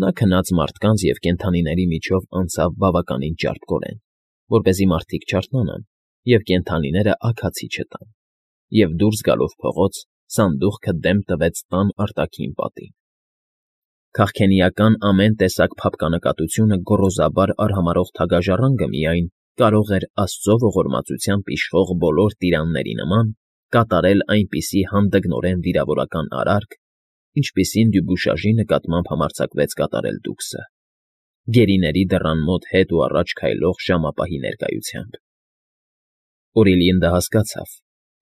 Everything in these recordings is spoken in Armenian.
Նա քնած մարդկանց և կենդանիների միջով անցավ բավականին ճարպկորեն, որպեսզի մարդիկ չարթնանան և կենդանիները աքացի չտան, և դուրս գալով փողոց, սանդուղքը դեմք տվեց տան արտաքին պատին։ Քաղքենիական ամեն տեսակ փափկանակատությունը գոռոզաբար արհամարհող թագաժառանգը միայն կարող էր աստծո ողորմածությամբ իշխող բոլոր տիրանների նման կատարել այնպիսի հանդգնորեն վիրավորական արարք, ինչպիսին Դյուբուշաժի նկատմամբ համարձակվեց կատարել Դուքսը, գերիների դռան մոտ հետ ու առաջ քայլող ժամապահի ներկայությամբ։ Օրիլիին դա հասկացավ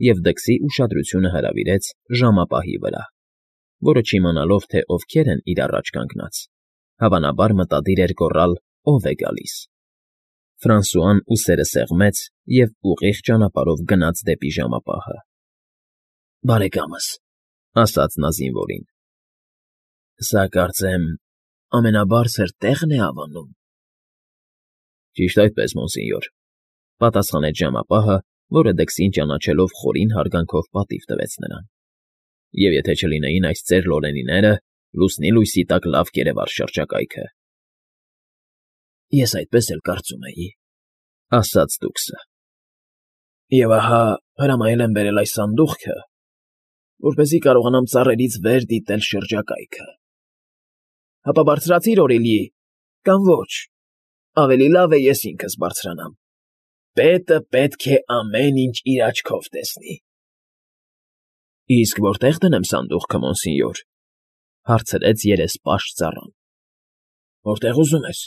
և դքսի ուշադրությունը հրավիրեց ժամապահի վրա, որը չիմանալով, թե ովքեր են իր առաջ կանգնած, հավանաբար մտադիր էր գոռալ. «Ո՞վ է գալիս»։ Ֆրանսուան ուսերը սեղմեց և ուղիղ ճանապարհով գնաց դեպի ժամապահը։ «Բարեկամս,֊ ասաց նա զինվորին,֊ սա, կարծեմ, ամենաբարձր տեղն է Ավանում»։ «Ճիշտ այդպես, մոնսենյոր,֊ պատասխանեց ժամապահը, որը դքսին ճանաչելով խորին հարգանքով պատիվ տվեց նրան։֊ Եվ եթե չլինեին այս ծեր լորենիները, լուսնի լույսի տակ լավ կերևար շրջակայքը»։ «Ես այդպես էլ կարծում էի,֊ ասաց Դուքսը,֊ և ահա հրամայել եմ բերել այս սանդուղքը, որպեսզի կարողանամ ծառերից վեր դիտել շրջակայքը։ Հապա բարձրացի՞ր, Օրիլի, կամ ոչ, ավելի լավ է ես ինքս բարձրանամ։ Պետը պետք է ամեն ինչ իր աչքով տեսնի»։ «Իսկ որտե՞ղ դնեմ սանդուղքը, մոնսենյոր,֊ հարցրեց երեսպաշտ ծառան։ «Որտեղ ուզում ես,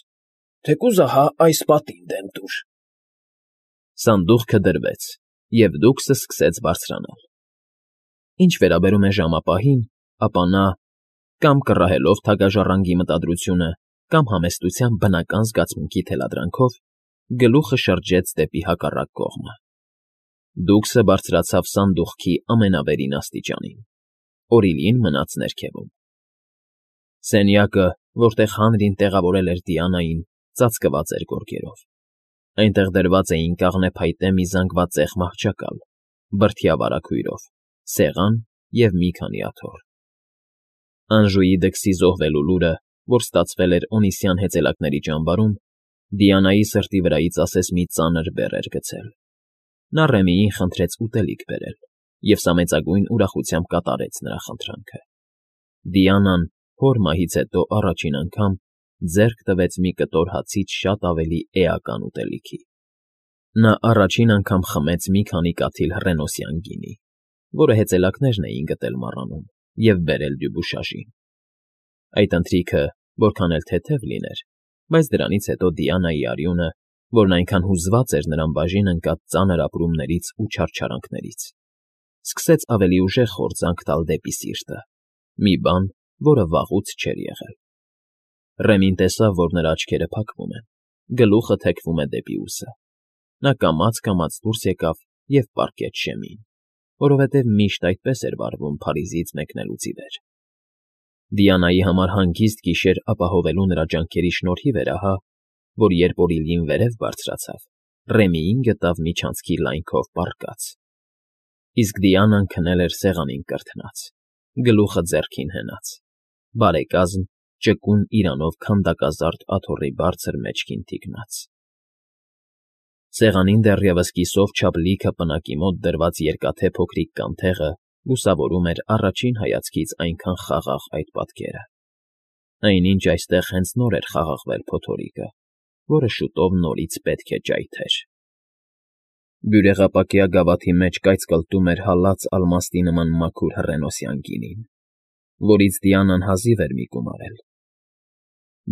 թեկուզ ահա այս պատին դեմ տուր»։ Սանդուղքը դրվեց, և Դուքսը սկսեց բարձրանալ։ Ինչ վերաբերում է ժամապահին, ապա նա, կամ կռահելով թագաժառանգի մտադրությունը, կամ համեստության բնական զգացմունքի թելադրանքով, գլուխը շրջեց դեպի հակառակ կողմը։ Դուքսը բարձրացավ սանդուղքի ամենավերին աստիճանին, Օրիլին մնաց ներքևում։ Սենյակը, որտեղ հանրին տեղավորել էր Դիանային, ծածկված էր գորգերով։ Այնտեղ դրված էին կաղնեփայտե մի զանգվածեղ մահճակալ, բրդյա վարագույրով, սեղան և մի քանի աթոռ։ Անժուի դքսի զոհվելու լուրը, որ ստացվել էր Օնիսյան հեծելակների ճամբարում, Դիանայի սրտի վրայից ասես մի ծանր բեռ էր գցել։ Նա Ռեմիին խնդրեց ուտելիք բերել, և սա մեծագույն ուրախությամբ կատարեց նրա խնդրանքը։ Դիանան, հոր մահից հետո առաջին անգամ, ձեռք տվեց մի կտոր հացից շատ ավելի էական ուտելիքի։ Նա առաջին անգամ խմեց մի քանի կաթիլ հռենոսյան գինի, որը հեծելակներն էին գտել մառանում և բերել Դյուբուշաժին։ Այդ ընթրիքը որքան էլ թեթև լիներ, բայց դրանից հետո Դիանայի արյունը, որն այնքան հուզված էր նրան բաժին ընկած ծանր ապրումներից ու չարչարանքներից, սկսեց ավելի ուժեղ խորձանք տալ դեպի սիրտը, մի բան, որը վաղուց չէր եղել։ Ռեմին տեսավ, որ նրա աչքերը փակվում են, գլուխը թեքվում է դեպի ուսը։ Նա կամաց֊կամաց դուրս եկավ և պառկեց շեմին, որովհետև միշտ այդպես էր վարվում Փարիզից մեկնելուց ի վեր։ Դիանայի համար հանգիստ գիշեր ապահովելու նրա ջանքերի շնորհիվ էր ահա, որ երբ Օրիլին վերև բարձրացավ, Ռեմիին գտավ միջանցքի լայնքով պառկած։ Իսկ Դիանան քնել էր սեղանին կրթնած, գլուխը ձեռքին հենած, բարեկազմ ճկուն իրանով քանդակազարդ աթոռի բարձր մեջքին թիկնած։ Սեղանին դեռևս կիսով չափ լիքը պնակի մոտ դրված երկաթե փոքրիկ կանթեղը լուսավորում էր առաջին հայացքից այնքան խաղաղ այդ պատկերը։ Այնինչ այստեղ հենց նոր էր խաղաղվել փոթորիկը, որը շուտով նորից պետք է ճայթեր։ Բյուրեղապակյա գավաթի մեջ կայծկլտում էր հալած ալմաստի նման մաքուր հռենոսյան գինին, որից Դիանան հազիվ էր մի կում արել։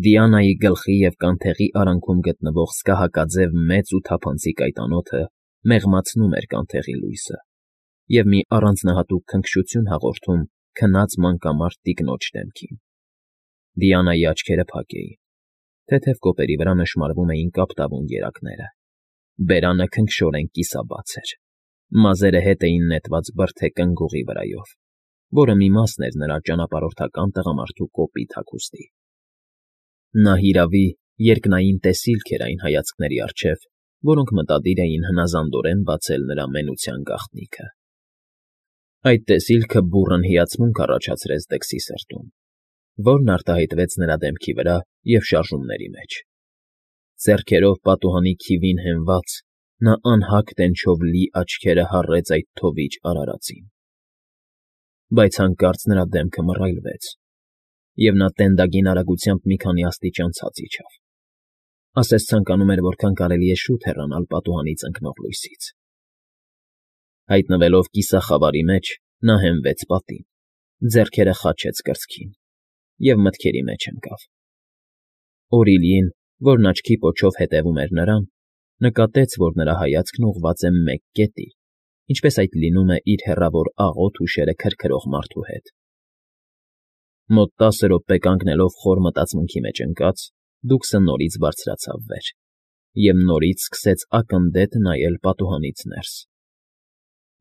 Դիանայի գլխի և կանթեղի արանքում գտնվող սկահակաձև մեծ ու թափանցիկ այդ անոթը մեղմացնում էր կանթեղի լույսը և մի առանձնահատուկ քնքշություն հաղորդում քնած մանկամարդ տիկնոջ դեմքին։ Դիանայի աչքերը փակ էին, թեթև կոպերի վրա նշմարվում էին կապտավուն երակները, բերանը քնքշորեն կիսաբաց էր, մազերը հետ էին նետված բրդե կնգուղի վրայով, որը մի մասն էր նրա ճանապարհորդական տղամարդու կոպիտ հագուստի։ Նա հիրավի երկնային տեսիլք էր այն հայացքների առջև, որոնք մտադիր էին հնազանդորեն բացել նրա մենության գաղտնիքը։ Այդ տեսիլքը բուռն հիացմունք առաջացրեց դքսի սրտում, որն արտահայտվեց նրա դեմքի վրա և շարժումների մեջ։ Ձեռքերով պատուհանի քիվին հենված, նա անհագ տենչով լի աչքերը հառեց այդ թովիչ արարածին։ Բայց հանկարծ նրա դեմքը մռայլվեց, և նա տենդագին արագությամբ մի քանի աստիճան ցած իջավ, ասես ցանկանում էր որքան կարելի է շուտ հեռանալ պատուհանից ընկնող լույսից։ Հայտնվելով կիսախավարի մեջ, նա հենվեց պատին, ձեռքերը խաչեց կրծքին և մտքերի մեջ ընկավ։ Օրիլիին, որն աչքի պոչով հետևում էր նրան, նկատեց, որ նրա հայացքն ուղղված է մեկ կետի, ինչպես այդ լինում է իր հեռավոր աղոտ հուշերը քրքրող մարդու հետ։ Մոտ 10 րոպե կանգնելով խոր մտածմունքի մեջ ընկած, Դուքսը նորից բարձրացավ վեր և նորից սկսեց ակննդետ նայել պատուհանից ներս։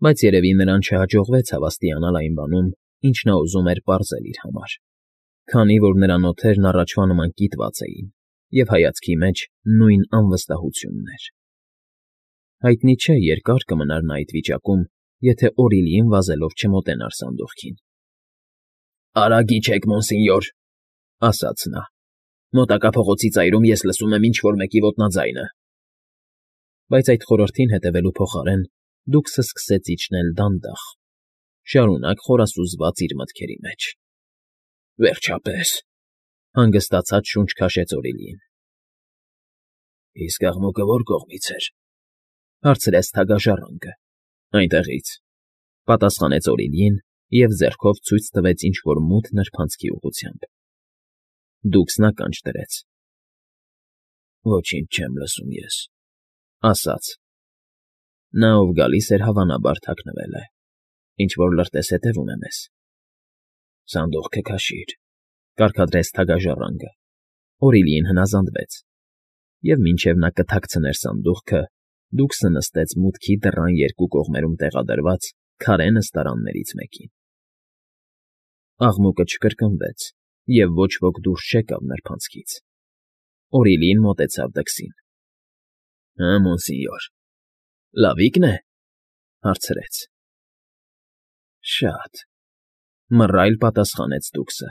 Բայց երևի նրան չհաջողվեց հավաստիանալ այն բանում, ինչ նա ուզում էր պարզել իր համար, քանի որ նրա նոթերն առաջվա նման կիտված էին, և հայացքի մեջ նույն անվստահությունն էր։ Հայտնի չէ՝ երկա՞ր կմնար նա այդ վիճակում, եթե Օրիլիին վազելով չմոտենար սանդուղքին։ ֊ Արագ իջեք, մոնսինյոր, ֊ ասաց նա։ Մոտակա փողոցի ծայրում ես լսում եմ ինչ֊որ մեկի ոտնաձայնը։ Բայց այդ խորհրդին հետևելու փոխարեն Դուքսը սկսեց իջնել դանդաղ, շարունակ խորասուզված իր մտքերի մեջ։ Վերջապես, ֊ հանգստացած շունչ քաշեց Օրիլիին։ Իսկ աղմուկը ո՞ր կողմից էր, ֊ հարցրեց թագաժառանգը։ Այնտեղից, ֊ պատասխանեց Օրիլիին և ձեռքով ցույց տվեց ինչ֊որ մութ նրբանցքի ուղղությամբ։ Դուքսն ականջ դրեց։ Ոչինչ չեմ լսում ես, ֊ ասաց։ Նա, ով գալիս էր, հավանաբար թաքնվել է, ինչ֊որ լրտես հետևում է մեզ։ Սանդուղքը քաշիր, ֊ կարգադրեց թագաժառանգը։ Օրիլիին հնազանդվեց, և մինչև նա կթաքցներ սանդուղքը, Դուքսը նստեց մուտքի դռան երկու կողմերում տեղադրված քարե նստարաններից մեկին։ Աղմուկը չկրկնվեց, և ոչ ոք դուրս չեկավ նրբանցքից։ Օրիլիին մոտեցավ դքսին։ ֊ Հը, մոնսինյոր, լավիկն է, ֊ հարցրեց։ ֊ Շատ, ֊ մռայլ պատասխանեց Դուքսը։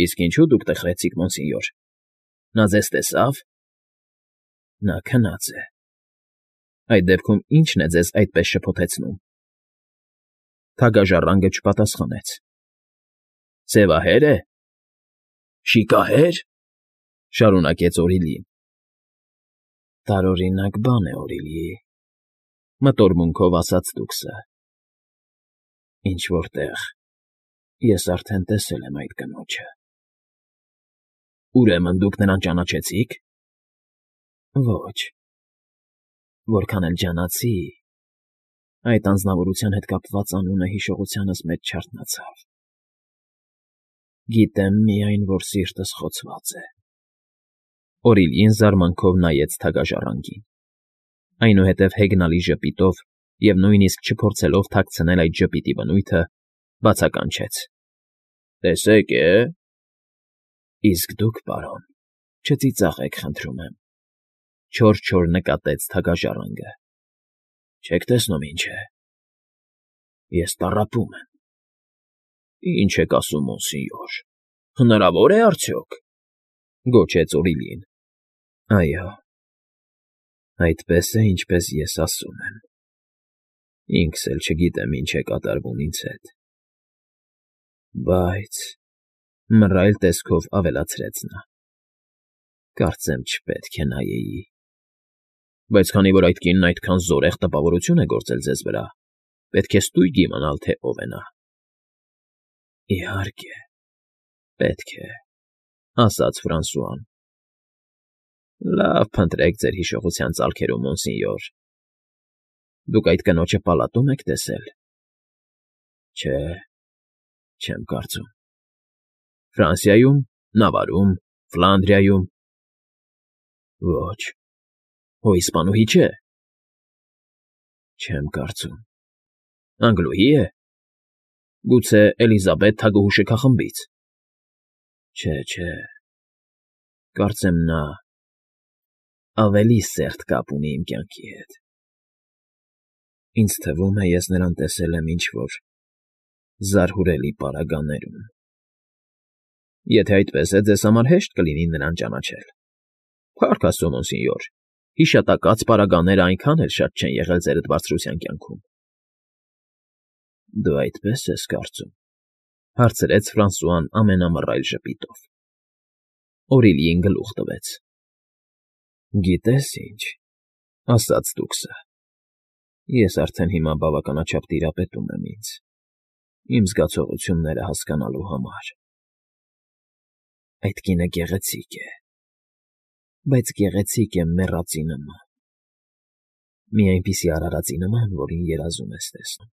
Իսկ ինչո՞ւ դուք տխրեցիք, մոնսինյոր, նա ձեզ տեսա՞վ։ Նա քնած է։ Այդ դեպքում ի՞նչն է ձեզ այդպես շփոթեցնում։ Թագաժառանգը չպատասխանեց։ Ձևահե՞ր է։ Շիկահե՞ր, ֊ շարունակեց Օրիլիին։ Տարօրինակ բան է, Օրիլի, ֊ մտորմունքով ասաց Դուքսը։ Ինչ֊որ տեղ ես արդեն տեսել եմ այդ կնոջը։ Ուրեմն դուք նրան ճանաչեցի՞ք։ Ոչ։ Որքան էլ ջանացի, այդ անձնավորության հետ կապված անունը հիշողությանս մեջ չարթնացավ։ Գիտեմ միայն, որ սիրտս խոցված է։ Օրիլիին զարմանքով նայեց թագաժառանգին։ Այնուհետև հեգնալի ժպիտով և նույնիսկ չփորձելով թաքցնել այդ ժպիտի բնույթը, բացականչեց. Տեսեք է։ Իսկ դուք, պարոն, չծիծաղեք, խնդրում եմ, ֊ չոր նկատեց թագաժառանգը։ Չեք տեսնում ինչ է։ Ես տառապում եմ։ Ինչ եք ասում, մոնսինյոր, հնարավո՞ր է արդյոք, ֊ գոչեց Օրիլիին։ Այո, այդպես է, ինչպես ես ասում եմ։ Ինքս էլ չգիտեմ ինչ է կատարվում ինձ հետ։ Բայց, ֊ մռայլ տեսքով ավելացրեց նա, կարծեմ չպետք է նայեի։ Բայց քանի որ այդ կինն այդքան զորեղ տպավորություն է գործել ձեզ վրա, պետք է ստույգ իմանալ, թե ով է նա։ Իհարկե, պետք է, ֊ ասաց Ֆրանսուան։ Լավ, փնտրեք ձեր հիշողության ծալքերում, մոնսինյոր։ Դուք այդ կնոջը պալատո՞ւմ եք տեսել։ Չէ, չեմ կարծում։ Ֆրանսիայում, Նավարում, Ֆլանդրիայում։ Ոչ, հո իսպանուհի չէ։ Չեմ կարծում։ Անգլուհի է։ Գուցե Էլիզաբեթ թագուհու շքախմբից։ Չէ, կարծեմ նա ավելի սերտ կապ ունի իմ կյանքի հետ։ Ինձ թվում է, ես նրան տեսել եմ ինչ֊որ զարհուրելի պարագաներում։ Եթե այդպես է, ձեզ համար հեշտ կլինի նրան ճանաչել։ Փառք Աստծո, մոնսենյոր, հիշատակած պարագաները այնքան էլ շատ չեն եղել ձերդ բարձրության կյանքում։ Դու այդպես ես կարծում,֊ հարցրեց Ֆրանսուան ամենամռայլ ժպիտով։ Օրիլիին գլուխ տվեց։ Գիտես ինչ,֊ ասաց Տուկսը,֊ ես արդեն հիմա բավականաչափ տիրապետում եմ ինձ, իմ զգացողությունները հասկանալու համար։ Այդ կինը գեղեցիկ է, բայց գեղեցիկ է մեռածի նման, մի այնպիսի արարածի նման, որին երազում ես տեսնում։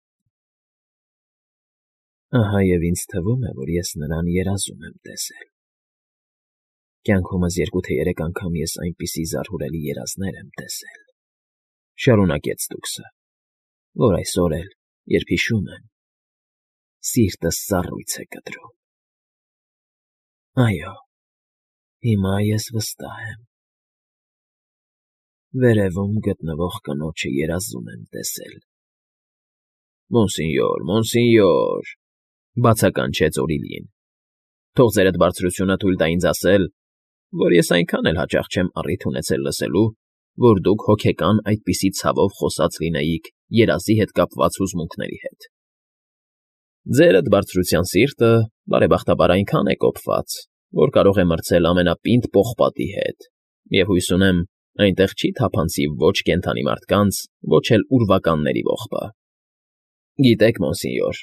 Ահա և ինձ թվում է, որ ես նրան երազում եմ տեսել։ Կյանքումս 2 թե 3 անգամ ես այնպիսի զարհուրելի երազներ եմ տեսել,֊ շարունակեց Տուկսը,֊ որ այսօր էլ, երբ հիշում եմ, սիրտս սառույց է կտրում։ Այո, հիմա ես վստահ եմ. վերևում գտնվող կնոջը երազում եմ տեսել։ Մոնսենյոր, մոնսենյոր,֊ բացականչեց Օրիլիին,֊ թող ձերդ բարձրությունը թույլ տա ինձ ասել, որ ես այնքան էլ հաճախ չեմ առիթ ունեցել լսելու, որ դուք հոգեկան այդպիսի ցավով խոսած լինեիք երազի հետ կապված հուզմունքների հետ։ Ձերդ բարձրության սիրտը, բարեբախտաբար, այնքան է կոփված, որ կարող է մրցել ամենապինդ պողպատի հետ, և հույս ունեմ, այնտեղ չի թափանցի ոչ կենդանի մարդկանց, ոչ էլ ուրվականների ողբը։ Գիտեք, մոնսենյոր,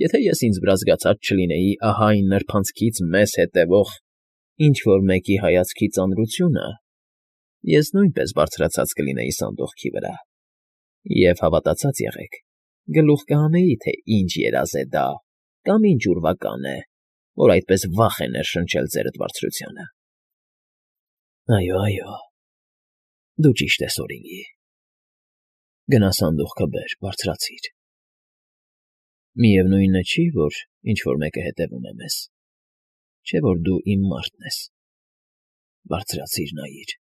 եթե ես ինձ վրա զգացած չլինեի ահա այն նրբանցքից մեզ հետևող ինչ֊որ մեկի հայացքի ծանրությունը, ես նույնպես բարձրացած կլինեի սանդուղքի վրա, և հավատացած եղեք, գլուխ կհանեի, թե ինչ երազ է դա կամ ինչ ուրվական է, որ այդպես վախ է ներշնչել ձերդ բարձրությանը։ Այո, այո, դու ճիշտ ես, Օրիլի, գնա սանդուղքը բեր, բարձրացիր։ Միևնույն չի, որ ինչ֊որ մեկը հետևում է մեզ, չէ՞ որ դու իմ մարդն ես, բարձրացիր նայիր։